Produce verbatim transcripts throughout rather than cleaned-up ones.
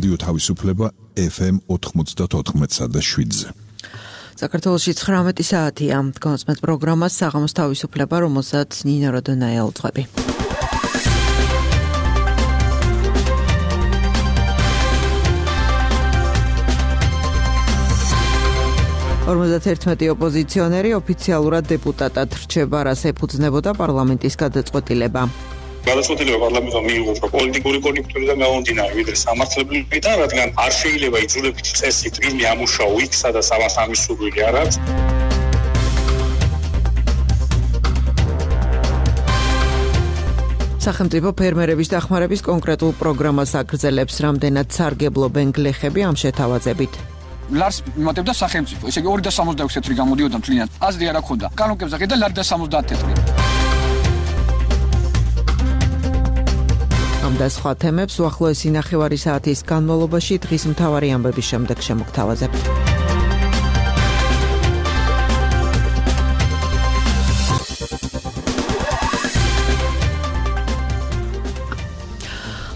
რადიო თავისუფლება ეფ ემ ოთხმოცდაოთხ და შვიდზე. საქართველოში ცხრამეტი საათია. გონსმეთ პროგრამას საღამოს თავისუფლება, რომელსაც ნინა როდონაია უძღვები. ორმოცდაერთმეტი ოპოზიციონერი ოფიციალურად დეპუტატად რჩება, რაც ეფუძნებოდა პარლამენტის გადაწყვეტილება. გადაწყვეტილება პარლამენტმა მიიღო პოლიტიკური კონიუნქტურიდან გამომდინარე, ვიდრე სამართლებრივიდან, რადგან არ შეიძლება იძულებით წესით ვინმე ამუშაო იქ, სადაც ამას ამის სურვილი არ აქვს. სახელმწიფო ფერმერების დახმარების კონკრეტულ პროგრამას აგრძელებს, რამდენად სარგებლობენ გლეხები ამ შეთავაზებით. ლარს იმატებდა სახელმწიფო, ესე იგი ორი და სამოცდაექვსი თეთრი გამოდიოდა მთლიანად. აზრი არ აქვს და კანონკებზე ყიდა ლარი და სამოცდაათი თეთრი. ამ და სხვა თემებს უახლოესი ნახევარი საათის განმავლობაში დღის მთავარი ამბების შემდეგ შემოგთავაზებთ.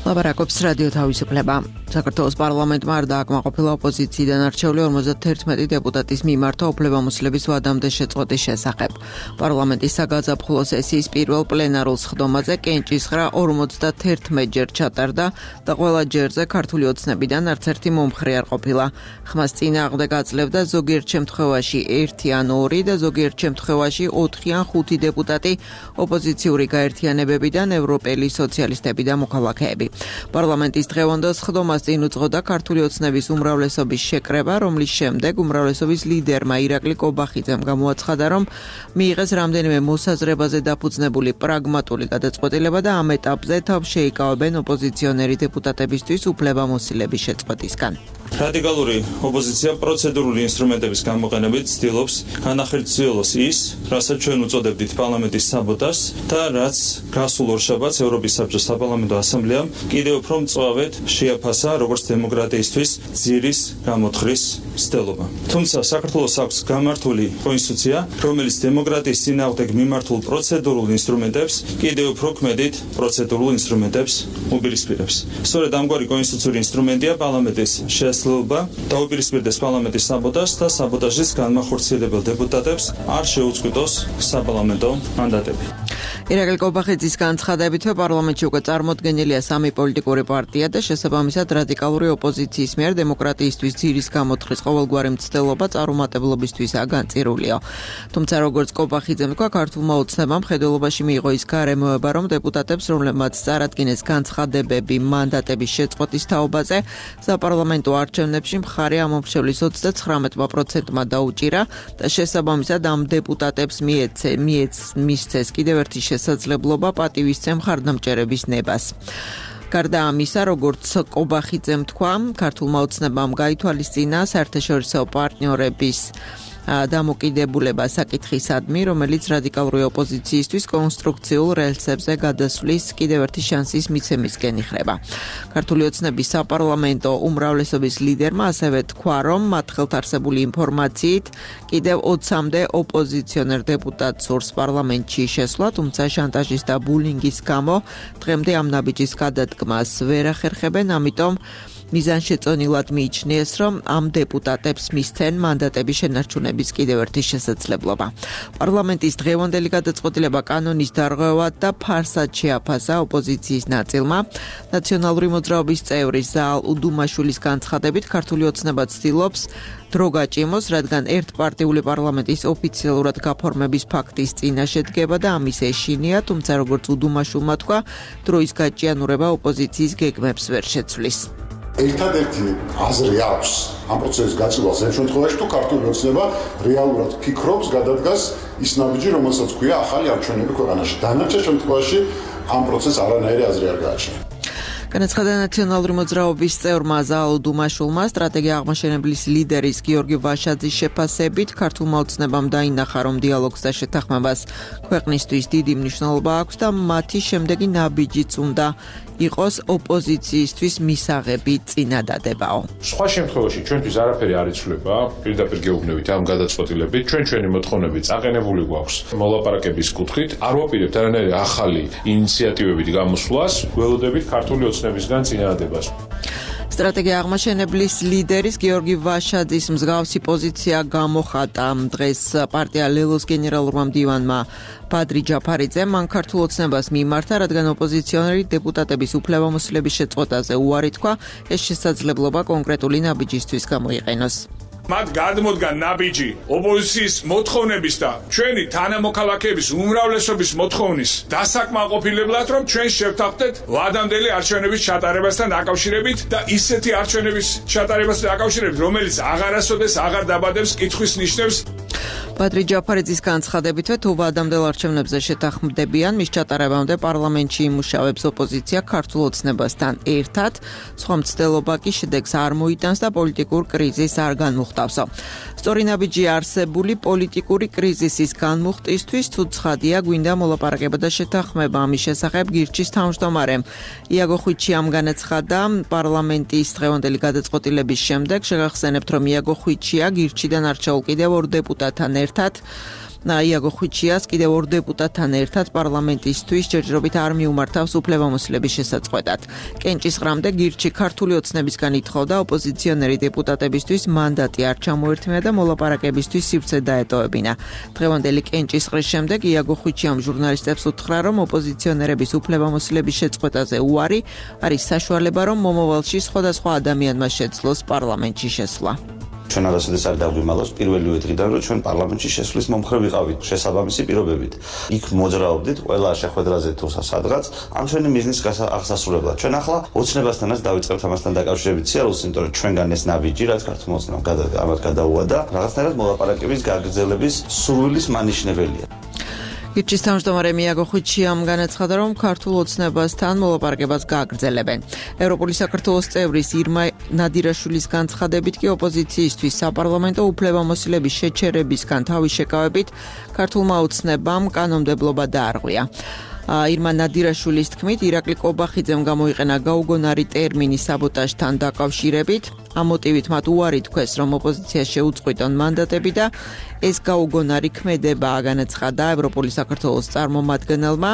ლაბარაკობს რადიო თავისუფლება. საქართველოს პარლამენტმა არ დააკმაყოფილა ოპოზიციიდან არჩეული ორმოცდაერთმეტი დეპუტატის მიმართა უფლებამოსილების ვადამდე შეწყვეტის შესახებ. პარლამენტის საგაზაფხულო სესიის პირველ პლენარულ სხდომაზე კენჭისყრა ორმოცდაერთმეტჯერ ჩატარდა და ყველა ჯერზე ქართული ოცნებიდან არც ერთი მომხრე არ ყოფილა. ხმას წინააღმდეგ აძლევდა ზოგიერთ შემთხვევაში ერთი ან ორი და ზოგიერთ შემთხვევაში ოთხი ან ხუთი დეპუტატი ოპოზიციური გაერთიანებებიდან, ევროპელი სოციალისტები და მოქალაქეები. პარლამენტის დღევანდელ სხდომას წინ უძღოდა ქართული ოცნების უმრავლესობის შეკრება, რომლის შემდეგ უმრავლესობის ლიდერმა ირაკლი კობახიძემ გამოაცხადა, რომ მიიღეს რამდენიმე მოსაზრებაზე დაფუძნებული პრაგმატული გადაწყვეტილება და ამ ეტაპზე თავს შეიკავებენ ოპოზიციონერი დეპუტატებისთვის უფლებამოსილების შეწყვეტისგან. რადიკალური ოპოზიცია პროცედურული ინსტრუმენტების გამოყენებით ცდილობს განახორციელოს ის, რასაც ჩვენ უწოდებდით პარლამენტის საბოტაჟს და რაც გასულ ორშაბათს ევროპის საბჭოს საპარლამენტო ასამბლეამ კიდევ უფრო მწვავედ შეაფასა როგორც დემოკრატიისთვის ძირის გამოთხრის მცდელობა. თუმცა საქართველოს აქვს გამართული კონსტიტუცია, რომელიც დემოკრატიის წინააღმდეგ მიმართულ პროცედურულ ინსტრუმენტებს კიდევ უფრო ქმედით პროცედურულ ინსტრუმენტებს უპირისპირებს. სწორედ ამგვარი კონსტიტუციური ინსტრუმენტია პარლამენტის შესაძლებლობა დაუპირისპირდეს პარლამენტის საბოტაჟს და საბოტაჟის განმახორციელებელ დეპუტატებს არ შეუწყვიტოს საპარლამენტო მანდატები. ირაკლი კობახიძის განცხადებითვე პარლამენტში უკვე წარმოდგენილია სამი პოლიტიკური პარტია და შესაბამისად რადიკალური ოპოზიციის მიერ დემოკრატიისთვის ძირის გამოთქმის ყოველგვარი მცდელობა წარუმატებლობისთვის აგანწირულია. თუმცა როგორც კობახიძემ თქვა, ქართულმა ოცნებამ მხედველობაში მიიღო ის გარემოება, რომ დეპუტატებს, რომლებმაც წარადგინეს განცხადებები მანდატების შეწყვეტის თაობაზე, საპარლამენტო არჩევნებში მხარე ამომრჩევლის ოცდაცხრამეტ პროცენტმა დაუჭირა და შესაბამისად ამ დეპუტატებს მიეცე მიეც მისცეს კიდევ ერთი შესაძლებლობა პატივისცემ მხარდამჭერების ნებას. გარდა ამისა, როგორც კობახიძემ თქვა, ქართულმა ოცნებამ გაითვალისწინა საერთაშორისო პარტნიორების დამოკიდებულება საკითხისადმი, რომელიც რადიკალური ოპოზიციისთვის კონსტრუქციულ რელსებზე გადასვლის კიდევ ერთი შანსის მიცემისკენ იხრება. ქართული ოცნების საპარლამენტო უმრავლესობის ლიდერმა ასევე თქვა, რომ მათ ხელთ არსებული ინფორმაციით კიდევ ოცამდე ოპოზიციონერ დეპუტატს სურს პარლამენტში შესვლა, თუმცა შანტაჟის და ბულინგის გამო დღემდე ამ ნაბიჯის გადადგმას ვერ ახერხებენ, ამიტომ მიზანშეწონილად მიიჩნიეს, რომ ამ დეპუტატებს მისცენ მანდატების შენარჩუნების კიდევ ერთი შესაძლებლობა. პარლამენტის დღევანდელი გადაწყვეტილება კანონის დარღვევად და ფარსად შეაფასა ოპოზიციის ნაწილმა. ნაციონალური მოძრაობის წევრი ზაალ უდუმაშვილის განცხადებით, ქართული ოცნება ცდილობს დრო გაჭიმოს, რადგან ერთპარტიული პარლამენტის ოფიციალურად გაფორმების ფაქტის წინაშე დგება და ამის ეშინია, თუმცა როგორც უდუმაშვილმა თქვა, დროის გაჭიანურება ოპოზიციის გეგმებს ვერ შეცვლის. ერთადერთი აზრი აქვს ამ პროცესის გაწევას იმ შემთხვევაში, თუ ქართული ოცნება რეალურად ფიქრობს გადადგას ის ნაბიჯი, რომელსაც ქვია ახალი არჩევნები ქვეყანაში. დანარჩენ შემთხვევაში ამ პროცესს არანაირი აზრი არ გააჩნია. განაცხადა ნაციონალური მოძრაობის წევრმა ზაალ უდუმაშვილმა სტრატეგია აღმაშენებლის ლიდერის გიორგი ვაშაძის შეფასებით, ქართულმა ოცნებამ დაინახა, რომ დიალოგს და შეთანხმებას ქვეყნისთვის დიდი მნიშვნელობა აქვს და მათი შემდეგი ნაბიჯიც უნდა იყოს ოპოზიციისთვის მისაღები წინადადებაო. სხვა შემთხვევაში ჩვენთვის არაფერი არ იცვლება, პირდაპირ გეუბნებით ამ გადაწყვეტილებით, ჩვენ ჩვენი მოთხოვნები წაყენებული გვაქვს მოლაპარაკების კუთხით, არ ვაპირებთ არანაირი ახალი ინიციატივებით გამოსვლას, ველოდებით ქართული ოცნებისგან წინადადებას. სტრატეგია აღმაშენებლის ლიდერის გიორგი ვაშაძის მსგავსი პოზიცია გამოხატა დღეს პარტია ლელოს გენერალურმა მდივანმა ბადრი ჯაფარიძემ. მან ქართულ ოცნებას მიმართა, რადგან ოპოზიციონერი დეპუტატების უფლებამოსილების შეწყვეტაზე უარი თქვა, ეს შესაძლებლობა კონკრეტული ნაბიჯისთვის გამოიყენოს. მათ გადმოდგა ნაბიჯი ოპოზიციის მოთხოვნების და ჩვენი თანამოქალაქეების უმრავლესობის მოთხოვნის დასაკმაყოფილებლად, რომ ჩვენ შევთანხმდეთ ვადამდელი არჩევნების ჩატარებასთან დაკავშირებით და ისეთი არჩევნების ჩატარებასთან დაკავშირებით, რომელიც აღარასოდეს აღარ დაბადებს კითხვის ნიშნებს. ბადრი ჯაფარიძის განცხადებითვე, თუ ვადამდელ არჩევნებზე შეთანხმდებიან, მის ჩატარებამდე პარლამენტში იმუშავებს ოპოზიცია ქართულ ოცნებასთან ერთად, სხვა მცდელობა კი შედეგს არ მოიტანს და პოლიტიკურ კრიზისს არ განმუხტავსო. სწორი ნაბიჯი არსებული პოლიტიკური კრიზისის განმუხტვისთვის, თუ ცხადია, გვინდა მოლაპარაკება და შეთანხმება. ამის შესახებ გირჩის თავმჯდომარემ იაგო ხვიჩიამ განაცხადა პარლამენტის დღევანდელი გადაწყვეტილების შემდეგ. შეგახსენებთ, რომ იაგო ხვიჩია გირჩიდან არჩეულ კიდევ ორ დეპუტატთან ერთად იაგო ხვიჩიას კიდევ ორ დეპუტატთან ერთად პარლამენტისთვის ჯერჯერობით არ მიუმართავს უფლებამოსილების შესაწყვეტად. კენჭისყრამდე გირჩი ქართული ოცნებისგან ითხოვდა ოპოზიციონერი დეპუტატებისთვის მანდატი არ ჩამოერთმია და მოლაპარაკებისთვის სივრცე დაეტოვებინა. დღევანდელი კენჭისყრის შემდეგ იაგო ხვიჩიამ ჟურნალისტებს უთხრა, რომ ოპოზიციონერების უფლებამოსილების შეწყვეტაზე უარი არის საშუალება, რომ მომავალში სხვადასხვა ადამიანმა შეძლოს პარლამენტში შესვლა. ჩვენ არასოდეს არ დავგვიმალავს პირველივე დღიდან, რომ ჩვენ პარლამენტში შესვლის მომხრე ვიყავით შესაბამისი პირობებით. იქ მოძრაობდით ყველა შეხვედრაზე თუ სადღაც ამ ჩვენი მიზნის აღსასრულებლად. ჩვენ ახლა ოცნებასთანაც დავიწყებთ ამასთან დაკავშირებით სიარულს, იმიტომ რომ ჩვენგან ეს ნაბიჯი, რაც ქართულ ოცნებამ ამათ გადაუვადა, რაღაცნაირად მოლაპარაკების გაგრძელების სურვილის მანიშნებელია. გირჩის თავმჯდომარე იაგო ხვიჩიამ განაცხადა, რომ ქართულ ოცნებასთან მოლაპარაკებას გააგრძელებენ. ევროპული საქართველოს წევრის ირმა ნადირაშვილის განცხადებით კი ოპოზიციისთვის საპარლამენტო უფლებამოსილების შეჩერებისგან თავის შეკავებით ქართულმა ოცნებამ კანონმდებლობა დაარღვია. ირმა ნადირაშვილის თქმით, ირაკლი კობახიძემ გამოიყენა გაუგონარი ტერმინი საბოტაჟთან დაკავშირებით. ამ მოტივით მათ უარი თქვეს, რომ ოპოზიციას შეუწყვიტონ მანდატები და ეს გაუგონარი ქმედება განაცხადა ევროპული საქართველოს წარმომადგენელმა.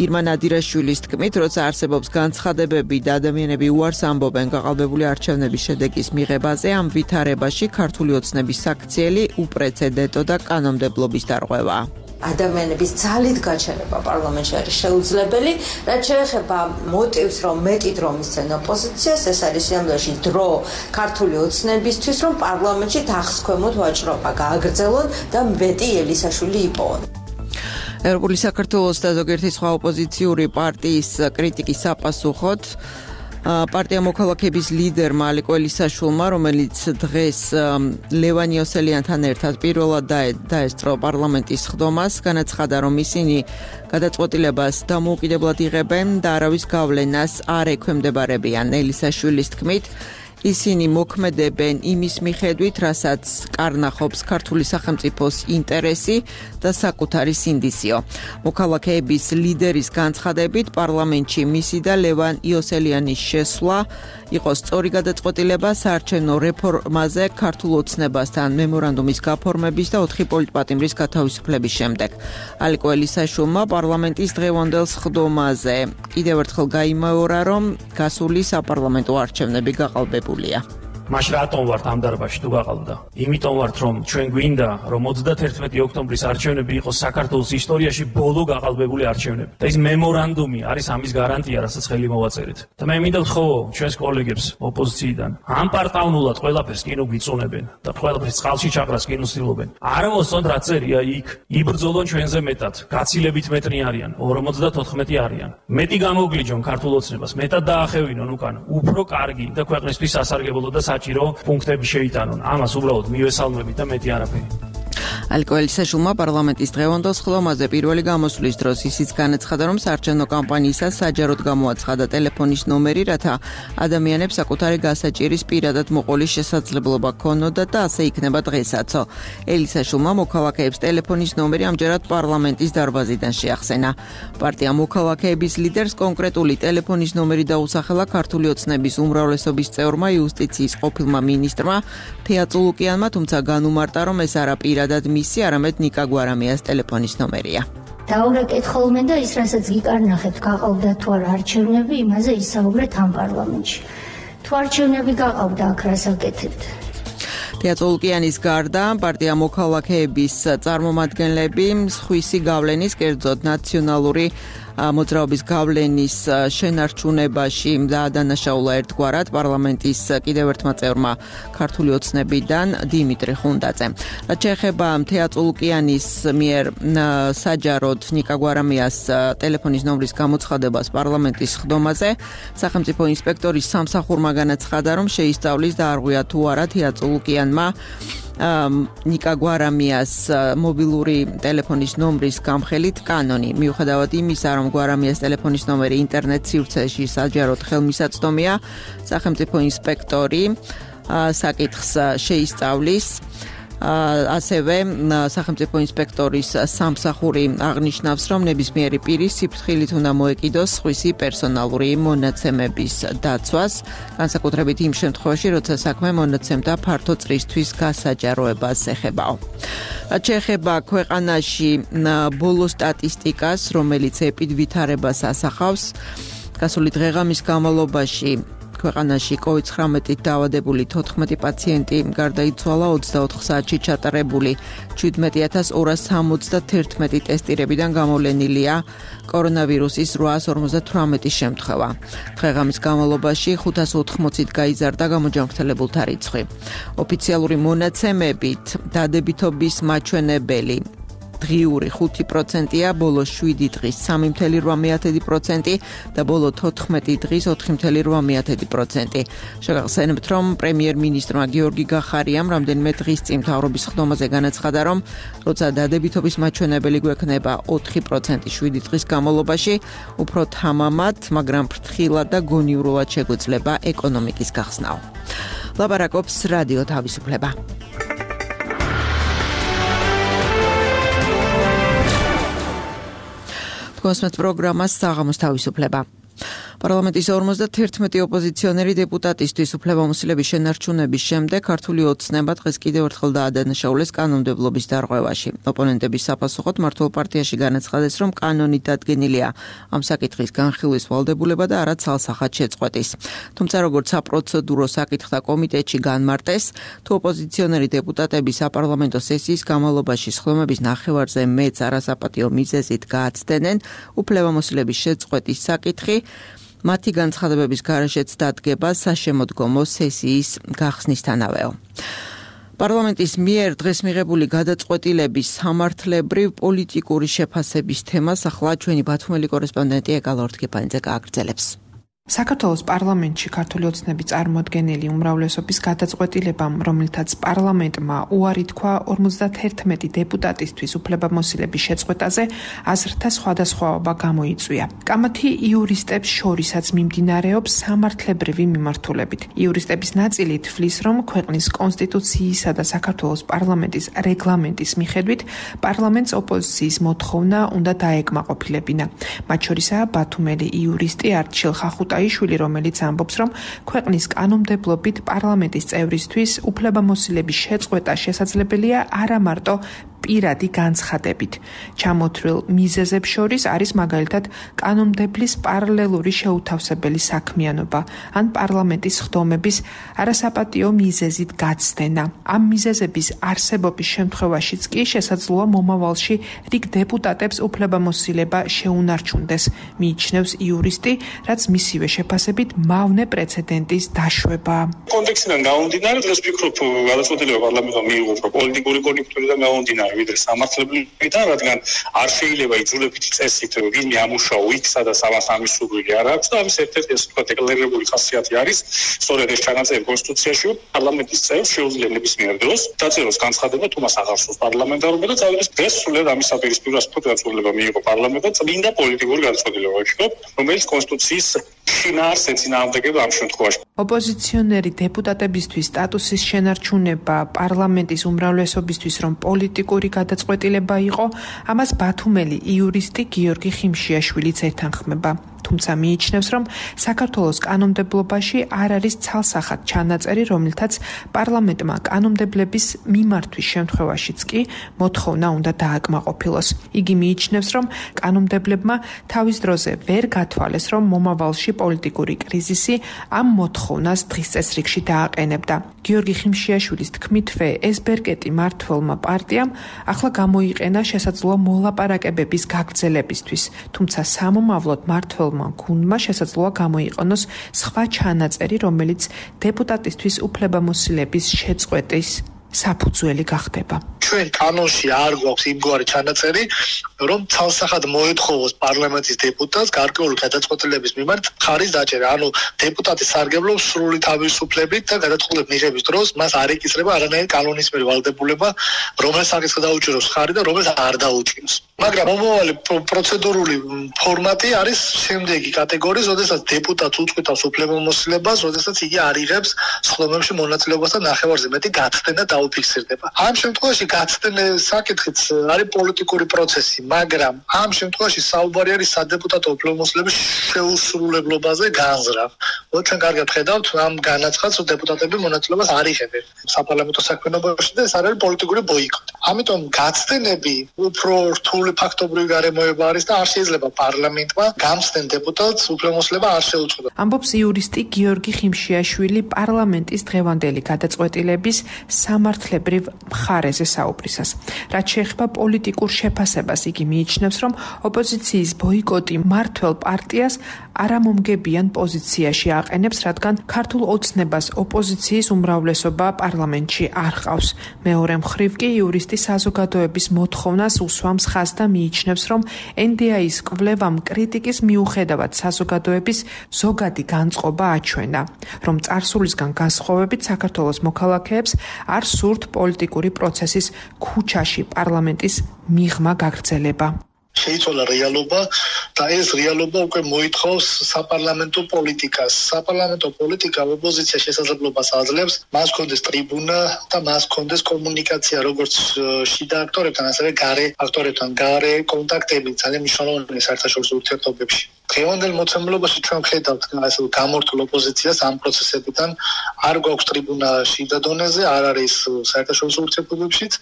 ირმა ნადირაშვილის თქმით, როცა არსებობს განცხადებები და ადამიანები უარს ამბობენ გაყალბებული არჩევნების შედეგის მიღებაზე, ამ ვითარებაში ქართული ოცნების საქციელი უპრეცედენტო და კანონმდებლობის დარღვევა. ადამიანების ძალით გაჩერება პარლამენტში არის შეუძლებელი, რაც შეეხება მოტივს, რომ მეტი დრო მისცენ ოპოზიციას, ეს არის სიამოვნებაში დრო ქართული ოცნებისთვის, რომ პარლამენტში თანხმქვემოთ ვაჭრობა გააგრძელონ და მეტი ელისაშვილი იპოვონ. ევროპული საქართველოს და ზოგიერთი სხვა ოპოზიციური პარტიის კრიტიკის საპასუხოდ პარტია მოქალაქეების ლიდერმა ალიკო ელისაშვილმა, რომელიც დღეს ლევან იოსელიანთან ერთად პირველად დაესწრო პარლამენტის ხდომას, განაცხადა, რომ ისინი გადაწყვეტილებას დამოუკიდებლად იღებენ და არავის გავლენას არ ექვემდებარებიან. ელისაშვილის თქმით, ისინი მოქმედებენ იმის მიხედვით, რასაც კარნახობს ქართული სახელმწიფოს ინტერესი და საკუთარი სინდისიო. მოქალაქეების ლიდერის განცხადებით, პარლამენტში მისი და ლევან იოსელიანის შესვლა იყო სწორი გადაწყვეტილება საარჩევნო რეფორმაზე ქართულ ოცნებასთან მემორანდუმის გაფორმების და ოთხი პოლიტპატიმრის გათავისუფლების შემდეგ. ალიკო ელისაშვილმა პარლამენტის დღევანდელ ხდომაზე კიდევ ერთხელ გაიმეორა, რომ გასული საპარლამენტო არჩევნები გაყალბებულია. მაშ რატომ ვართ ამ დარბაზში თუ გაყალბდა? იმიტომ ვართ, რომ ჩვენ გვინდა, რომ ოცდათერთმეტი ოქტომბრის არჩევნები იყოს საქართველოს ისტორიაში ბოლო გაყალბებული არჩევნები. და ეს მემორანდუმი არის ამის გარანტია, რასაც ხელი მოვაწერეთ. და მე მინდა ვთხოვო ჩვენს კოლეგებს ოპოზიციიდან, ამ პარტავნულად ყველაფერს კინო გვიწუნებენ და ყველაფერს წყალში ჩაყრას კინოს ცდილობენ. არ მოსწონთ რა წერია იქ, იბრძოლონ ჩვენზე მეტად, გაცილებით მეტნი არიან, ორმოცდათოთხმეტი არიან. მეტი გამოგვლიჯონ ქართულ ოცნებას, მეტად დაახევინონ უკან, უფრო კარგი და ქვეყნისთვის სასარგებლო და საჭირო პუნქტები შეიტანონ. ამას უბრალოდ მივესალმებით და მეტი არაფერი. ალიკო ელისაშვილმა პარლამენტის დღევანდელ ხდომაზე პირველი გამოსვლის დროს ისიც განაცხადა, რომ საარჩევნო კამპანიისას საჯაროდ გამოაცხადა ტელეფონის ნომერი, რათა ადამიანებს საკუთარი გასაჭირის პირადად მოყოლის შესაძლებლობა ქონოდათ და ასე იქნება დღესაც. ელისაშვილმა მოქალაქეებს ტელეფონის ნომერი ამჯერად პარლამენტის დარბაზიდან შეახსენა. პარტია მოქალაქეების ლიდერს კონკრეტული ტელეფონის ნომერი დაუსახელა ქართული ოცნების უმრავლესობის წევრმა იუსტიციის ყოფილმა მინისტრმა თეა წულუკიანმა, თუმცა განუმარტა, რომ ეს არა პირადად მისი, არამედ ნიკა გვარამიას ტელეფონის ნომერია. დაურეკეთ ხოლმე და ის, რასაც გიკარნახებთ, გაყალბდა თუ არა არჩევნები, იმაზე ისაუბრეთ ამ პარლამენტში. თუ არჩევნები გაყავდა აქ რას აკეთებთ? თეატოლკიანის გარდა პარტია მოქალაქეების წარმომადგენლები სხვისი გავლენის, კერძოდ ნაციონალური მოძრაობის გავლენის შენარჩუნებაში დაადანაშაულა ერთგვარად პარლამენტის კიდევ ერთმა წევრმა ქართული ოცნებიდან დიმიტრი ხუნდაძემ. რაც შეეხება თეატოლკიანის მიერ საჯაროდ ნიკა გვარამიას ტელეფონის ნომრის გამოცხადებას პარლამენტის ხდომაზე, სახელმწიფო ინსპექტორის სამსახურმა განაცხადა, რომ შეისწავლის და არღვია თუ არა თეატოლკიანმა ნიკა გვარამიას მობილური ტელეფონის ნომრის გამხელით კანონი. მიუხედავად იმისა, რომ გვარამიას ტელეფონის ნომერი ინტერნეტ სივრცეში საჯაროდ ხელმისაწვდომია, სახელმწიფო ინსპექტორი საკითხს შეისწავლის. ასევე სახელმწიფო ინსპექტორის სამსახური აღნიშნავს, რომ ნებისმიერი პირი სიფრთხილით უნდა მოეკიდოს სხვისი პერსონალური მონაცემების დაცვას, განსაკუთრებით იმ შემთხვევაში, როცა საქმე მონაცემთა ფართო წრისთვის გასაჯაროებას ეხებაო. რაც შეეხება ქვეყანაში ბოლო სტატისტიკას, რომელიც ეპიდვითარებას ასახავს, გასული დღეღამის განმავლობაში ქვეყანაში კოვიდ ცხრამეტით დაავადებული თოთხმეტი პაციენტი გარდაიცვალა, ოცდაოთხ საათში ჩატარებული შვიდმეტი ათას ორას სამოცდათერთმეტი ტესტირებიდან გამოვლენილია კორონავირუსის რვაას ორმოცდათვრამეტი შემთხვევა. დღეღამის განმავლობაში ხუთას ოთხმოცით გაიზარდა გამოჯანმრთელებულთა რიცხვი. ოფიციალური მონაცემებით დადებითობის მაჩვენებელი დღიური ხუთი პროცენტია, ბოლო შვიდი დღის სამი ფاصლე რვა პროცენტი და ბოლო თოთხმეტი დღის ოთხი ფاصლე რვა პროცენტი. შეგახსენებთ, რომ პრემიერ-მინისტრმა გიორგი გახარიამ რამდენიმე დღის წინ მთავრობის ხდომაზე განაცხადა, რომ როცა დადებითობის მაჩვენებელი გვექნება ოთხი პროცენტი შვიდი დღის განმავლობაში, უფრო თამამად, მაგრამ ფრთხილად და გონივრულად შეგვეძლება ეკონომიკის გახსნაო. ლაპარაკობს რადიო თავისუფლება. კოსმეთ პროგრამას საღამოს თავისუფლება. პარლამენტის ორმოცდათერთმეტი ოპოზიციონერი დეპუტატისთვის უფლებამოსილების შენარჩუნების შემდეგ ქართული ოცნება დღეს კიდევ ერთხელ დაადანაშაულეს კანონმდებლობის დარღვევაში. ოპონენტების საფასუხოდ მართლ პარტიაში განაცხადეს, რომ კანონით დადგენილია ამ საკითხის განხილვის ვალდებულება და არა ცალსახად შეწყვეტის. თუმცა როგორც საპროცედურო საკითხთა კომიტეტში განმარტეს, თუ ოპოზიციონერი დეპუტატები საპარლამენტო სესიის განმავლობაში სხდომების ნახევარზე მეც არასაპატიო მიზეზით გააცდენენ, უფლებამოსილების შეწყვეტის საკითხი მათი განცხადებების გარეშეც დადგება საშემოდგომო სესიის გახსნისთანავეო. პარლამენტის მიერ დღეს მიღებული გადაწყვეტილების სამართლებრივ პოლიტიკური შეფასების თემას ახლა ჩვენი ბათუმელი კორესპონდენტი ეკალ ორთქიფანიძე გააგრძელებს. საქართველოს პარლამენტში ქართული ოცნების წარმოადგენელი უმრავლესობის გადაწყვეტილებამ, რომელთაც პარლამენტმა უარი თქვა ორმოცდათერთმეტი დეპუტატისთვის უფლებამოსილების შეწყვეტაზე, აზრთა სხვადასხვაობა გამოიწვია. კამათი იურისტებს შორისაც მიმდინარეობს სამართლებრივი მიმართულებით. იურისტების ნაწილი თვლის, რომ ქვეყნის კონსტიტუციისა და საქართველოს პარლამენტის რეგლამენტის მიხედვით პარლამენტს ოპოზიციის მოთხოვნა უნდა დაეკმაყოფილებინა. მათ შორისაა ბათუმელი იურისტი არჩილ ხახუტა აიშვილი, რომელიც ამბობს, რომ ქვეყნის კანონმდებლობით პარლამენტის წევრისთვის უფლებამოსილების შეწყვეტა შესაძლებელია არა მარტო პირადი განცხადებით. ჩამოთვლილ მიზეზებს შორის არის მაგალითად კანონმდებლის პარალელური შეუთავსებელი საქმიანობა ან პარლამენტის ხდომების არასაპატიო მიზეზით გაცდენა. ამ მიზეზების არსებობის შემთხვევაშიც კი შესაძლოა მომავალში რიგ დეპუტატებს უფლებამოსილება შეუნარჩუნდეს, მიიჩნევს იურისტი, რაც მისივე შეფასებით მავნე პრეცედენტის დაშვება. კონტექსტიდან გამომდინარე, დღეს ვფიქრობ, გადაწყვეტილება პარლამენტმა მიიღო პოლიტიკური კონიუნქტურიდან გამომდინარე, ვიდრე სამართლებრივიდან, რადგან არ შეიძლება იძულებითი წესით ვინმე ამუშაო იქ, სადაც ამას ამის სურვილი არ აქვს და ამის ერთ-ერთი ასე ვთქვათ დეკლარირებული ხასიათი არის, სწორედ ეს ჩანაწერი კონსტიტუციაში, პარლამენტის წევრს შეუძლია ნებისმიერ დროს დაწეროს განცხადება, თუ მას აღარ სურს პარლამენტარობა და წავიდეს დღეს სულად ამის საპირისპიროს გადაწყვეტილება მიიღო პარლამენტმა, წმინდა პოლიტიკური გადაწყვეტილება ვფიქრობ, რომელიც კონსტიტუციის შინაარს ეწინააღმდეგება ამ შემთხვევაში. ოპოზიციონერი დეპუტატებისთვის სტატუსის შენარჩუნება პარლამენტის უმრავლესობისთვის რომ პოლიტიკური გადაწყვეტილება იყო, ამას ბათუმელი იურისტი გიორგი ხიმშიაშვილიც ეთანხმება. თუმცა მიიჩნევს, რომ საქართველოს კანონმდებლობაში არ არის ცალსახად ჩანაწერი, რომლითაც პარლამენტმა კანონმდებლების მიმართვის შემთხვევაშიც კი მოთხოვნა უნდა დააკმაყოფილოს. იგი მიიჩნევს, რომ კანონმდებლებმა თავის დროზე ვერ გათვალეს, რომ მომავალში პოლიტიკური კრიზისი ამ მოთხოვნას დღის წესრიგში დააყენებდა. გიორგი ხიმშიაშვილის თქმითვე, ეს ბერკეტი მმართველმა პარტიამ ახლა გამოიყენა შესაძლოა მოლაპარაკებების გაგრძელებისთვის, თუმცა სამომავლოდ მმართველმა გუნდმა შესაძლოა გამოიყენოს სხვა ჩანაწერი, რომელიც დეპუტატისთვის უფლებამოსილების შეწყვეტის საფუძველი გახდება. ჩვენ კანონში არ გვაქვს იმგვარი ჩანაწერი, რომ ცალსახად მოეთხოვოს პარლამენტის დეპუტატს გარკვეული გადაწყვეტილების მიმართ ხარის დაჭერა. ანუ დეპუტატი სარგებლობს სრული თავისუფლებით და გადაწყვეტილების მიღების დროს მას არ ეკისრება არანაირი კანონის მიერ ვალდებულება, რომელსაც საკითხი დაუჭიროს ხარი და რომელსაც არ დაუჭიროს. მაგრამ მომავალი პროცედურული ფორმატი არის შემდეგი კატეგორიის, როდესაც დეპუტატს უწყვეტავს უფლებამოსილებას, როდესაც იგი არ იღებს სხდომებში მონაწილეობას და ნახევარზე მეტი გაცდენა დაუფიქსირდება. ამ შემთხვევაში გაცდენის საკითხიც არის პოლიტიკური პროცესი, მაგრამ ამ შემთხვევაში საუბარი არის სადეპუტატო უფლებამოსილების შეუსრულებლობაზე განზრახ. ჩვენ კარგად ხედავთ ამ განაცხადს, რომ დეპუტატები მონაწილეობას არ იღებენ საპარლამენტო საქმიანობაში და ეს არის პოლიტიკური ბოიკოტი. ამიტომ გაცდენები უფრო რთული ფაქტობრივი გარემოება არის და არ შეიძლება პარლამენტმა გამცდენ დეპუტატს უფლებამოსილება არ შეუწყოს. ამბობს იურისტი გიორგი ხიმშიაშვილი პარლამენტის დღევანდელი გადაწყვეტილების სამართლებრივ მხარეზე საუბრისას. რაც შეეხება პოლიტიკურ შეფასებას, იგი მიიჩნევს, რომ ოპოზიციის ბოიკოტი მმართველ პარტიას არამომგებიან პოზიციაში აყენებს, რადგან ქართულ ოცნებას ოპოზიციის უმრავლესობა პარლამენტში არ ჰყავს. მეორე მხრივ კი იურისტი საზოგადოების მოთხოვნას უსვამს ხაზს და მიიჩნევს, რომ ენ დე აის კვლევამ კრიტიკის მიუხედავად საზოგადოების ზოგადი განწყობა აჩვენა, რომ წარსულისგან განსხვავებით საქართველოს მოქალაქეებს არ სურთ პოლიტიკური პროცესის ქუჩაში პარლამენტის მიღმა გაგრძელება. შეიცვალა რეალობა და ეს რეალობა უკვე მოითხოვს საპარლამენტო პოლიტიკას. საპარლამენტო პოლიტიკა ოპოზიციას შესაძლებლობას აძლევს, მას ჰქონდეს ტრიბუნა და მას ჰქონდეს კომუნიკაცია როგორც შიდა აქტორებთან, ასევე გარე აქტორებთან, გარე კონტაქტები ძალიან მნიშვნელოვანია საერთაშორისო ურთიერთობებში. დღევანდელ მოცემულობაში ჩვენ ვხედავთ ასე გამორთულ ოპოზიციას ამ პროცესებიდან, არ გვაქვს ტრიბუნა შიდა დონეზე, არ არის საერთაშორისო ურთიერთობებშიც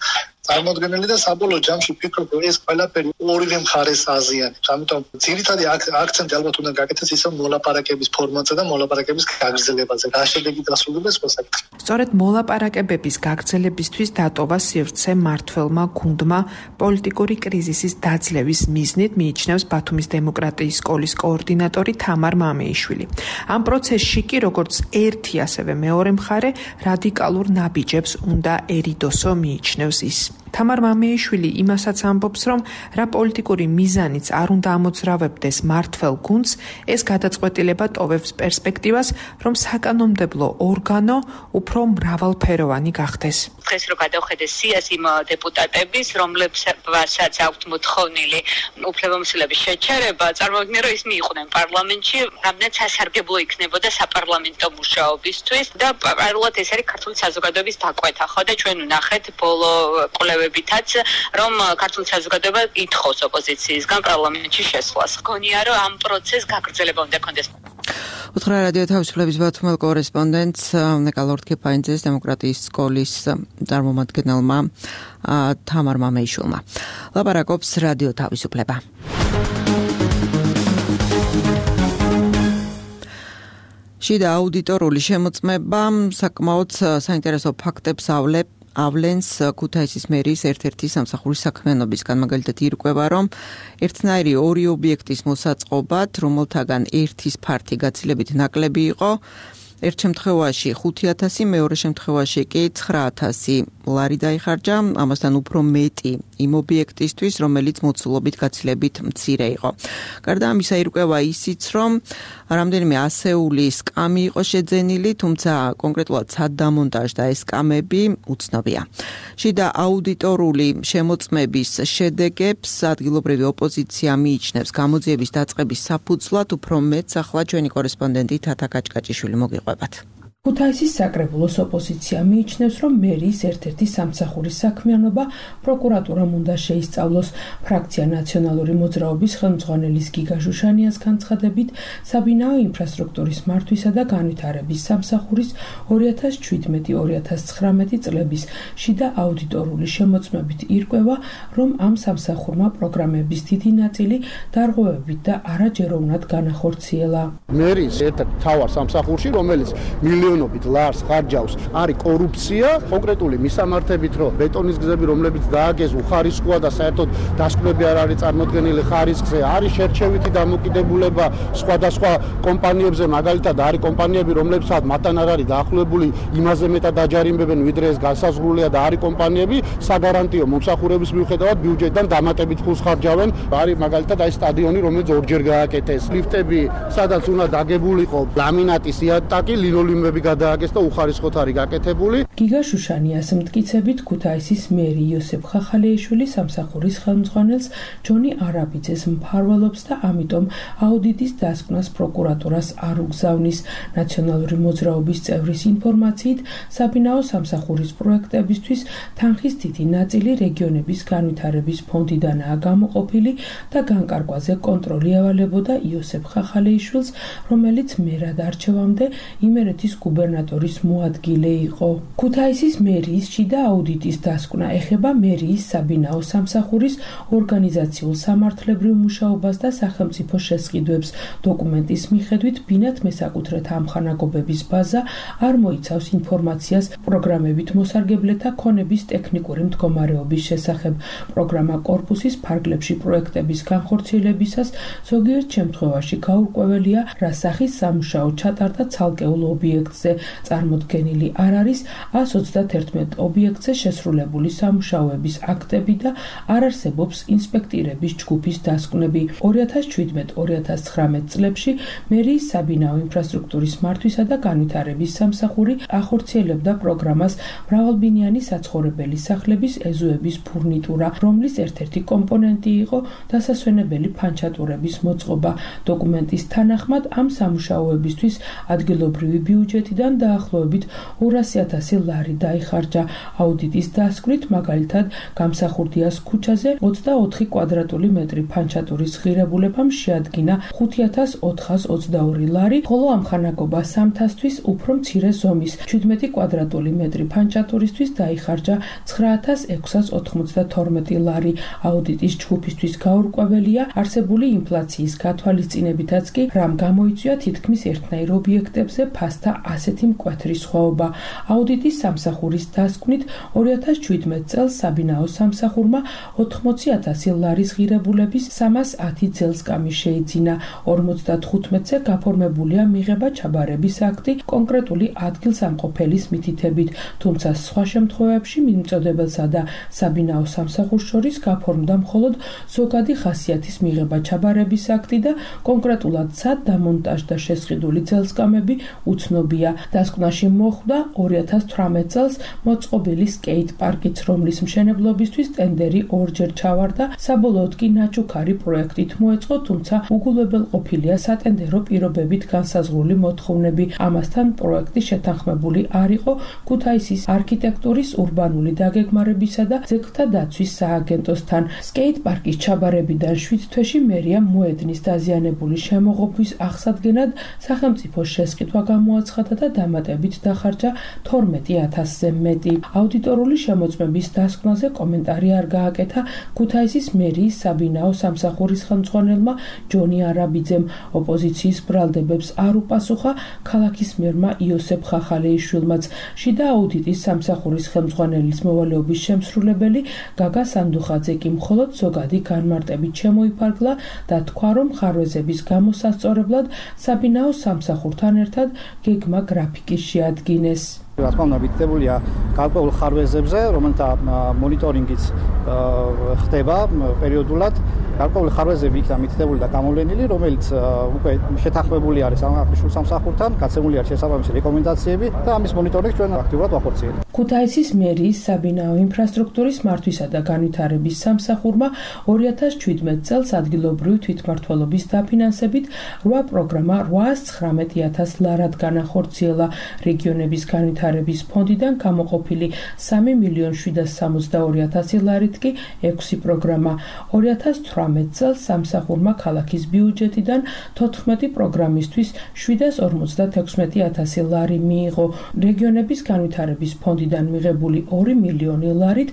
წარმოდგენილი და საბოლოო ჯამში ვფიქრობ, რომ ეს ყველაფერი ორივე მხარეს აზიანებს. ამიტომ ძირითადი აქცენტი ალბათ უნდა გაკეთდეს ისევ მოლაპარაკების ფორმატზე და მოლაპარაკების გაგრძელებაზე. რა შედეგი დასრულდება ეს საკითხი. სწორედ მოლაპარაკებების გაგრძელებისთვის დატოვა სივრცე მმართველმა გუნდმა პოლიტიკური კრიზისის დაძლევის მიზნით, მიიჩნევს ბათუმის დემოკრატიის სკოლის კოორდინატორი თამარ მამეიშვილი. ამ პროცესში კი როგორც ერთი, ასევე მეორე მხარე რადიკალურ ნაბიჯებს უნდა ერიდოსო, მიიჩნევს ის. თამარ მამეიშვილი იმასაც ამბობს, რომ რა პოლიტიკური მიზანიც არ უნდა ამოძრავებდეს მმართველ გუნდს, ეს გადაწყვეტილება ტოვებს პერსპექტივას, რომ საკანონმდებლო ორგანო უფრო მრავალფეროვანი გახდეს. დღეს რო გადავხედე სიას იმ დეპუტატების, რომლებსაც აქვთ მოთხოვნილი უფლებამოსილების შეჩერება, წარმოვიდგინე, რომ ისინი იყვნენ პარლამენტში, რამდენად სასარგებლო იქნებოდა საპარლამენტო მუშაობისთვის და პარალელურად ეს არის ქართული საზოგადოების დაკვეთა, ხო და ჩვენ ვნახეთ ბოლო კვლევებითაც, რომ ქართული საზოგადოება ითხოვს ოპოზიციისგან პარლამენტში შესვლას. გონია, რომ ამ პროცესს გაგრძელება უნდა კონდეს. უთხრა რადიო თავისუფლების ბათუმელ კორესპონდენტს ნეკალორდ კეფაინძეს დემოკრატიის სკოლის წარმომადგენელმა თამარ მამეიშვილმა. ლაპარაკობს რადიო თავისუფლება. შიდა აუდიტორული შემოწმება საკმაოდ საინტერესო ფაქტებს ავლებს ავლენს ქუთაისის მერიის ერთ-ერთი სამსახურის საქმიანობისგან. მაგალითად ირკვევა, რომ ერთნაირი ორი ობიექტის მოსაწყობად, რომელთაგან ერთის ფართი გაცილებით ნაკლები იყო, ერთ შემთხვევაში ხუთი ათასი, მეორე შემთხვევაში კი ცხრა ათასი ლარი დაიხარჯა, ამასთან უფრო მეტი იმ ობიექტისთვის, რომელიც მოცულობით გაცილებით მცირე იყო. გარდა ამისა ირკვევა ისიც, რომ რამდენიმე ასეული სკამი იყო შეძენილი, თუმცა კონკრეტულად სად დამონტაჟდა ეს სკამები უცნობია. შიდა აუდიტორული შემოწმების შედეგებს ადგილობრივი ოპოზიცია მიიჩნევს გამოძიების დაწყების საფუძვლად, უფრო მეტს ახლა ჩვენი კორესპონდენტი თათა კაჭკაჭიშვილი მოგიყვებათ. ქუთაისის საკრებულოს ოპოზიცია მიიჩნევს, რომ მერიის ერთ-ერთი სამსახურის საქმიანობა პროკურატურამ უნდა შეისწავლოს. ფრაქცია ნაციონალური მოძრაობის ხელმძღვანელის გიგა ჟუშანიას განცხადებით, საბინაო ინფრასტრუქტურის მართვისა და განვითარების სამსახურის ორი ათას შვიდმეტი ორი ათას ცხრამეტი წლების შიდა აუდიტორული შემოწმებით ირკვევა, რომ ამ სამსახურმა პროგრამების დიდი ნაწილი დარღვევებით და არაჯეროვნად განახორციელა. მერიის ერთ-ერთ მთავარ სამსახურში, რომელიც მილიონობით ლარს ხარჯავს, არის კორუფცია, კონკრეტული მისამართებით, რომ ბეტონის გზები, რომლებიც დააგეს, უხარისხოა და საერთოდ დასკვნები არ არის წარმოდგენილი ხარისხზე, არის შერჩევითი დამოკიდებულება სხვადასხვა კომპანიებზე, მაგალითად არის კომპანიები, რომლებსაც მათთან არ არის დაახლოებული იმაზე მეტად აჯარიმებენ, ვიდრე ეს განსაზღვრულია და არის კომპანიები საგარანტიო მომსახურების მიუხედავად ბიუჯეტიდან დამატებით ფულს ხარჯავენ. არის მაგალითად აი სტადიონი, რომელიც ორჯერ გააკეთეს, ლიფტები, სადაც უნდა დაგებულიყო ლამინატის იატაკი, ლინოლეუმები გადააკეთეს და უხარისხოთ არის გაკეთებული. გიგა შუშანიას მტკიცებით ქუთაისის მერი იოსებ ხახალეიშვილი სამსახურის ხელმძღვანელს ჯონი არაბიძეს მფარველობს და ამიტომ აუდიტის დასკვნას პროკურატურას არ უგზავნის. ნაციონალური მოძრაობის წევრის ინფორმაციით, საბინაო სამსახურის პროექტებისთვის თანხის დიდი ნაწილი რეგიონების განვითარების ფონდიდანაა გამოყოფილი და განკარგვაზე კონტროლი ევალებოდა იოსებ ხახალეიშვილს, რომელიც მერად არჩევამდე იმერეთის გუბერნატორის მოადგილე იყო. ქუთაისის მერიის შიდა აუდიტის დასკვნა ეხება მერიის საბინაო სამსახურის ორგანიზაციულ სამართლებრივ მუშაობას და სახელმწიფო შესყიდვებს. დოკუმენტის მიხედვით ბინათ მესაკუთრეთა ამხანაგობების ბაზა არ მოიცავს ინფორმაციას პროგრამებით მოსარგებლეთა ქონების ტექნიკური მდგომარეობის შესახებ. პროგრამა კორპუსის ფარგლებში პროექტების განხორციელებისას ზოგიერთ შემთხვევაში გაურკვეველია, რა სახის სამუშაო ჩატარდა ცალკეულ ობიექტზე. წარმოდგენილი არ არის ას ოცდაათერთმეტ ობიექტზე შესრულებული სამუშაოების აქტები და არ არსებობს ინსპექტირების ჯგუფის დასკვნები. ორი ათას შვიდმეტ ორი ათას ცხრამეტ წლებში მერიის საბინაო ინფრასტრუქტურის მართვისა და განვითარების სამსახური ახორციელებდა პროგრამას მრავალბინიანი საცხოვრებელი სახლების ეზოების ფურნიტურა, რომლის ერთ-ერთი კომპონენტი იყო დასასვენებელი ფანჩატურების მოწყობა. დოკუმენტის თანახმად ამ სამუშაოებისთვის ადგილობრივი ბიუჯეტიდან დაახლოებით ორასი ათასი ლარი დაიხარჯა. აუდიტის დასკვნით, მაგალითად, გამსახურდიას ქუჩაზე ოცდაოთხი კვადრატული მეტრი ფანჩატურის ღირებულებამ შეადგინა ხუთი ათას ოთხას ოცდაორი ლარი, ხოლო ამხანაგობა სამთასთვის უფრო მცირე ზომის შვიდმეტი კვადრატული მეტრი ფანჩატურისთვის დაიხარჯა ცხრა ათას ექვსას ოთხმოცდათორმეტი ლარი. აუდიტის ჯგუფისთვის გაურკვეველია არსებული ინფლაციის გათვალისწინებითაც კი რამ გამოიწვია თითქმის ერთნაირ ობიექტებზე ფასთა ასეთი მკვეთრი სხვაობა. აუდიტის სამსახურის დასკვნით ორი ათას შვიდმეტ წელს საბინაო სამსახურმა ოთხმოცი ათასი ლარის ღირებულების სამას ათი ძელსკამი შეიძინა. ორმოცდათხუთმეტზე გაფორმებულია მიღება ჩაბარების აქტი კონკრეტული ადგილსამყოფელის მითითებით, თუმცა სხვა შემთხვევებში მიმწოდებელსა და საბინაო სამსახურს შორის გაფორმდა მხოლოდ ზოგადი ხასიათის მიღება ჩაბარების აქტი და კონკრეტულად სად დამონტაჟდა შესყიდული ძელსკამები უცნობია. დასკვნაში მოხვდა ორი ათას თვრამეტ წელს მოწყობილი სკეით პარკიც, რომლის მშენებლობისთვის ტენდერი ორჯერ ჩავარდა, საბოლოოდ კი ნაჩუქარი პროექტით მოეწყო, თუმცა უგულებელყოფილია სატენდერო პირობებით განსაზღვრული მოთხოვნები. ამასთან პროექტი შეთანხმებული არ იყო ქუთაისის არქიტექტურის, ურბანული დაგეგმარებისა და ძეგლთა დაცვის სააგენტოსთან. სკეით პარკის ჩაბარებიდან შვიდ თვეში მერიამ მოედნის დაზიანებული შემოღობის აღსადგენად სახელმწიფოს შესყიდვა გამოაცხადა და დამატებით დახარჯა თორმეტი ათასზე მეტი. აუდიტორული შემოწმების დასკვნაზე კომენტარი არ გააკეთა ქუთაისის მერიის საბინაო სამსახურის ხელმძღვანელმა ჯონი არაბიძემ. ოპოზიციის ბრალდებებს არ უპასუხა ქალაქის მერმა იოსებ ხახალეიშვილმაც. შიდა აუდიტის სამსახურის ხელმძღვანელის მოვალეობის შემსრულებელი გაგა სანდუხაძე კი მხოლოდ ზოგადი განმარტებით შემოიფარგლა და თქვა, რომ ხარვეზების გამოსასწორებლად საბინაო სამსახურთან ერთად გეგმა გრაფიკის შეადგინეს. რა თქმა უნდა, მითითებულია გარკვეულ ხარვეზებზე, რომელთა მონიტორინგიც ხდება პერიოდულად. გარკვეული ხარვეზები იქნა მითითებული და გამოვლენილი, რომელიც უკვე შეთანხმებული არის აღნიშნულ სამსახურთან, გაცემული არის შესაბამისი რეკომენდაციები და ამის მონიტორინგს ჩვენ აქტიურად ვახორციელებთ. ქუთაისის მერიის საბინაო ინფრასტრუქტურის მართვისა და განვითარების სამსახურმა ორი ათას შვიდმეტ წელს ადგილობრივი თვითმმართველობის დაფინანსებით რვა პროგრამა რვაას ცხრამეტი ათას ლარად განახორციელა. რეგიონების განვითარების ფონდიდან გამოყოფილი სამი მილიონი შვიდას სამოცდაორი ათასი ლარით კი ექვსი პროგრამა. ორი ათას თვრამეტ წელს სამსახურმა ქალაქის ბიუჯეტიდან თოთხმეტი პროგრამისთვის შვიდას ორმოცდათექვსმეტი ათასი ლარი მიიღო. რეგიონების განვითარების ფონდიდან მიღებული ორი მილიონი ლარით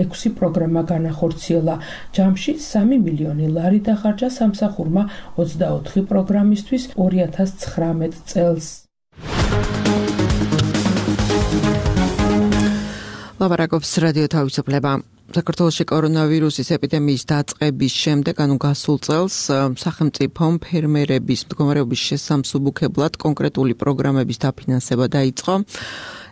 ექვსი პროგრამა განახორციელა. ჯამში სამი მილიონი ლარი დახარჯა სამსახურმა ოცდაოთხი პროგრამისთვის ორი ათას ცხრამეტ წელს. ლაპარაკობს რადიო თავისუფლება. საქართველოში კორონავირუსის ეპიდემიის დაწყების შემდეგ, ანუ გასულ წელს, სახელმწიფომ ფერმერების მდგომარეობის შესამსუბუქებლად კონკრეტული პროგრამების დაფინანსება დაიწყო.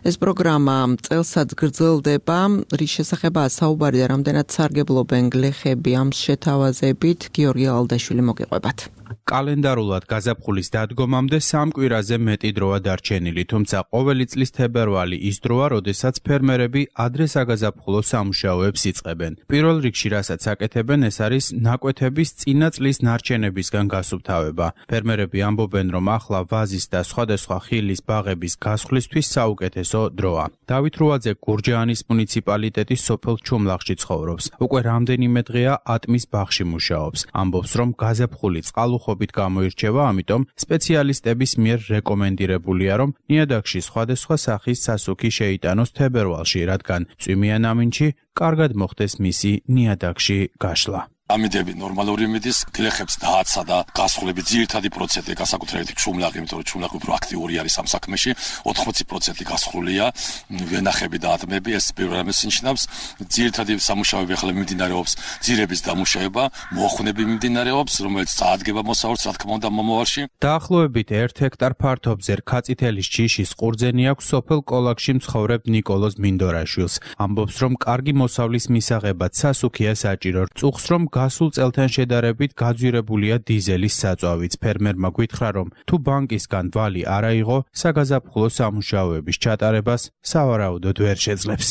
ეს პროგრამა წელსაც გრძელდება, რის შესახებაა საუბარი და რამდენად სარგებლობენ გლეხები ამ შეთავაზებით, გიორგი ალდაშვილი მოგიყვებათ. კალენდარულად გაზაფხულის დადგომამდე სამ კვირაზე მეტი დროა დარჩენილი, თუმცა ყოველი წლის თებერვალი ის დროა, როდესაც ფერმერები ადრე საგაზაფხულო სამუშაოებს იწყებენ. პირველ რიგში, რასაც აკეთებენ, ეს არის ნაკვეთების წინა წლის ნარჩენებისგან გასუფთავება. ფერმერები ამბობენ, რომ ახლა ვაზის და სხვადასხვა ხილის ბაღების გასხვლისთვის საუკეთესო დროა. დავით რუაძე გურჯაანის მუნიციპალიტეტის სოფელ ჩუმლახში ცხოვრობს. უკვე რამდენიმე დღეა ატმის ბაღში მუშაობს. ამბობს, რომ გაზაფხული წყალუხობით გამოირჩევა, ამიტომ სპეციალისტების მიერ რეკომენდირებულია, რომ ნიადაგში სხვადასხვა სახის სასუქი შეიტანოს თებერვალში, რადგან წვიმიან ამინდში კარგად მოხდეს მისი ნიადაგში გაშლა. ამიდები ნორმალური იმედის გლეხებს დააცა და გასხლები ძირითადი პროცენტი განსაკუთრებით ჩუმლაღი, იმიტომ რომ ჩუმლაღი უფრო აქტიური არის ამ საქმეში, ოთხმოცი პროცენტი გასხლულია, ვენახები და ატმები, ეს პირველ რამეს ნიშნავს. ძირითადი სამუშაოები ახლა მიმდინარეობს, ძირების დამუშავება, მოხვნები მიმდინარეობს, რომელიც წაადგება მოსავალს, რა თქმა უნდა, მომავალში. დაახლოებით ერთ ჰექტარ ფართობზე რქაწითელის ჯიშის ყურძენი აქვს სოფელ კოლაკში მცხოვრებ ნიკოლოზ მინდორაშვილს. ამბობს, რომ კარგი მოსავლის მისაღებად სასუქია საჭირო, წუხს რომ გასულ წელთან შედარებით გაძვირებულია დიზელის საწვავიც. ფერმერმა გითხრა, რომ თუ ბანკისგან ვალი არ აიღო, საგაზაფხულო სამუშაოების ჩატარებას სავარაუდოდ ვერ შეძლებს.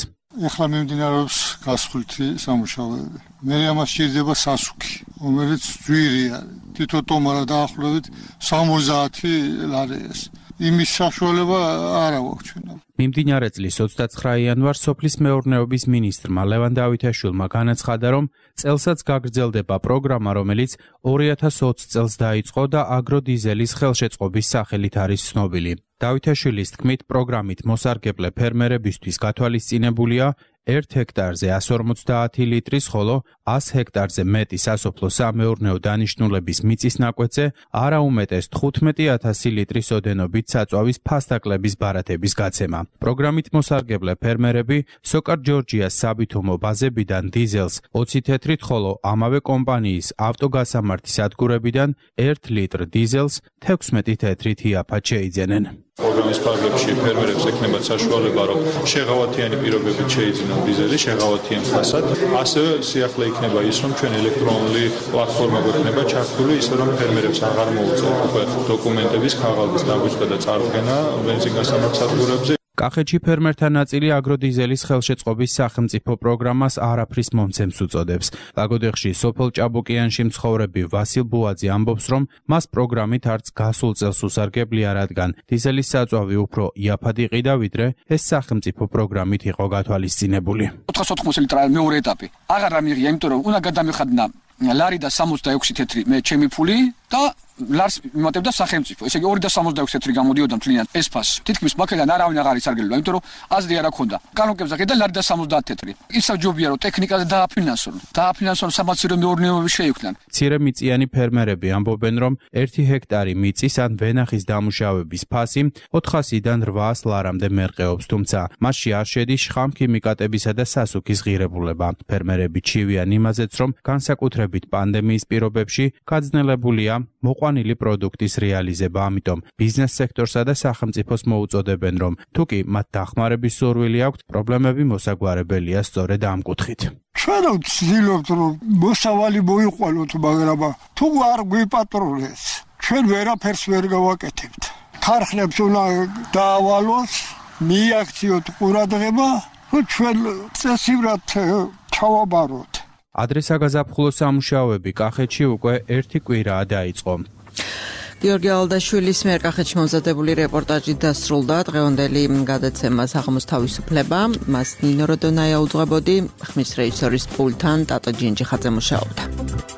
ეხლა მიმდინარეობს გასხვლითი სამუშაოები. მე ამას სჭირდება სასუქი, რომელიც ძვირი არის. თითო ტომარა დაახლოებით სამოცდაათი ლარიას. იმის საშუალება არ აქვს ჩვენ. მიმდინარე წლის ოცდაცხრა იანვარს სოფლის მეურნეობის მინისტრმა ლევან დავითაშვილმა განაცხადა, რომ წელსაც გაგრძელდება პროგრამა, რომელიც ორი ათას ოცი წელს დაიწყო და აგროდიზელის ხელშეწყობის სახელით არის ცნობილი. დავითაშვილის თქმით, პროგრამით მოსარგებლე ფერმერებისთვის გათვალისწინებულია ერთ ჰექტარზე ასი ორმოცდაათი ლიტრის, ხოლო ას ჰექტარზე მეტი სასოფლო-სამეურნეო დანიშნულების მიწის ნაკვეთზე არაუმეტეს თხუთმეტი ათასი ლიტრის ოდენობით საწვავის ფასდაკლების ბარათების გაცემა. პროგრამით მოსარგებლე ფერმერები სოკარ ჯორჯიას საბითუმო ბაზებიდან დიზელს ოცი თეთრით, ხოლო ამავე კომპანიის ავტოგასამართის სადგურებიდან ერთ ლიტრ დიზელს თექვსმეტი თეთრით იაფად შეიძენენ. პროგრამის ფარგლებში ფერმერებს ექნებათ საშუალება, რომ შეღავათიანი პირობებით შეიძინონ დიზელი შეღავათიან ფასად. ასევე სიახლე იქნება ის, რომ ჩვენ ელექტრონული პლატფორმა გვექნება ჩართული, ისე რომ ფერმერებს აღარ მოუწევთ უკვე დოკუმენტების, ქაღალდის დაბეჭდა და წარდგენა ბენზინგასამართ სადგურებზე. კახეთში ფერმერთა ნაწილი აგროდიზელის ხელშეწყობის სახელმწიფო პროგრამას არაფრის მომცემს უწოდებს. ლაგოდეხში სოფელ ჭაბუკიანში მცხოვრები ვასილ ბუაძე ამბობს, რომ მას პროგრამით არც გასულ წელს უსარგებლია, რადგან დიზელის საწვავი უფრო იაფად იყიდა, ვიდრე ეს სახელმწიფო პროგრამით იყო გათვალისწინებული. ოთხას ოთხმოცი ლიტრა მეორე ეტაპი. აღარ ამიღია, იმიტომ რომ უნდა გადამიხადნა ლარი და სამოცდაექვსი თეთრი მე ჩემი ფული და ლარს მიმატებდა სახელმწიფო. ესე იგი ორი და სამოცდაექვსი თეთრი გამოდიოდა მთლიანად ეს ფასი. თითქმის მაგედან არავინ აღარ ისარგებლა, იმიტომ რომ აზრი არ აქვს. კანონკებზე ყიდა ლარი და სამოცდაათი თეთრი. ისა ჯობია რომ ტექნიკაზე დააფინანსონ. დააფინანსონ სამაცირო მეურნეობები შეიქმნან. მცირემიწიანი ფერმერები ამბობენ, რომ ერთი ჰექტარი მიწის ან ვენახის დამუშავების ფასი ოთხასიდან რვაას ლარამდე მერყეობს, თუმცა მასში არ შედის შხამქიმიკატებისა და სასუქის ღირებულება. ფერმერები ჩივიან იმაზეც, რომ განსაკუთრებით პანდემიის პირობებში გაძნელებულია მოყვანილი პროდუქტის რეალიზება, ამიტომ ბიზნეს სექტორსა და სახელმწიფოს მოუწოდებენ, რომ თუკი მათ დახმარების სურვილი აქვთ, პრობლემები მოსაგვარებელია სწორედ ამ კუთხით. ჩვენ ვცდილობთ, რომ მოსავალი მოიყვანოთ, მაგრამ თუ არ გვიპატრონეს, ჩვენ ვერაფერს ვერ გავაკეთებთ. ქარხნებს უნდა დაავალოს, მიაქციოთ ყურადღება, რომ ჩვენ წესივრად ჩავაბაროთ. ადრე საგაზაფხულო სამუშაოები კახეთში უკვე ერთი კვირაა დაიწყო. გიორგი ალდაშვილის მიერ კახეთში მომზადებული რეპორტაჟი დასრულდა. დღევანდელი გადაცემა საღამოს თავისუფლება. მას ნინო როდონაია უძღვებოდი, ხმის რეჟისორის პულტთან ტატო ჯინჯიხაძე მუშაობდა.